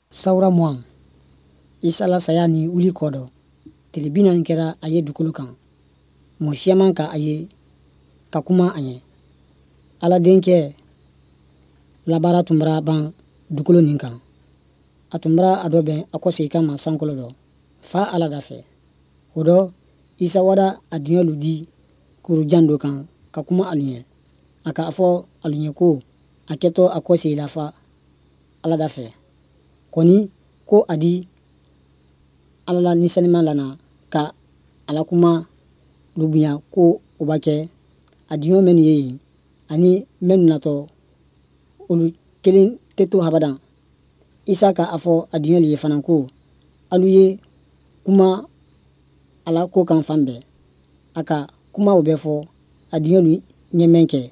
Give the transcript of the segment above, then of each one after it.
Sawura 20. Isa la saya ni wuli kɔ dɔ, tile 40 kɛra a ye dugukolo kan. Mɔgɔ siyaman ka a ye ka kuma a ɲɛ. Ala denkɛ la baara tun bara ban dugukolo nin kan. A tun bara a dɔbɛn a kɔsegin kama sankolo dɔ, Fa Ala da fɛ. O dɔ, Isa wada a diɲɛlu di kurujan dɔ kan ka kuma alu ɲɛ. A k'a fɔ alu ɲɛ ko a kɛtɔ a kɔsegin la Fa Ala da fɛ. Kɔni ko a di Ala la Ni Senuma lana ka a la kuma lu bonya ko o ba kɛ a diɲɔ minnu ye yen ani minnu natɔ, olu kelen tɛ to abadan. Isa ka a fɔ a diɲɔlu ye fana ko alu ye kuma a la ko kan fan bɛɛ. A ka kuma o bɛɛ fɔ a diɲɔlu ɲɛ mɛn kɛ,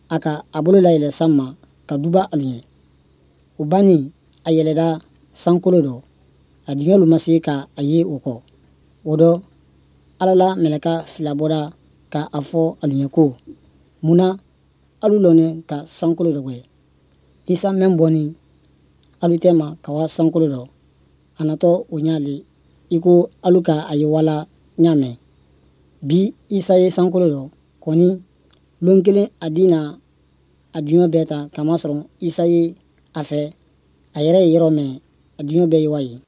a ka a bolo layɛlɛ san ma ka duba alu ɲɛ. O bannin, a yɛlɛda sankolo dɔ. A diɲɔlu ma se ka a ye o kɔ. O dɔ, Ala la mɛlɛka fila bɔra ka a fɔ alu ɲɛ ko, mun na alu lɔnin ka sankolo dɔgbɛ? Isa mɛn bɔnin alu tɛma ka wa sankolo dɔ, a natɔ o ɲa le i ko alu ka a ye wala ɲa mɛn. Bi Isa ye sankolo dɔ, kɔni lon kelen a di na a diɲɔ bɛɛ ta, kamasɔrɔ Isa ye a fɛ a yɛrɛ ye yɔrɔ mɛn, a diɲɔ bɛɛ ye wa yen.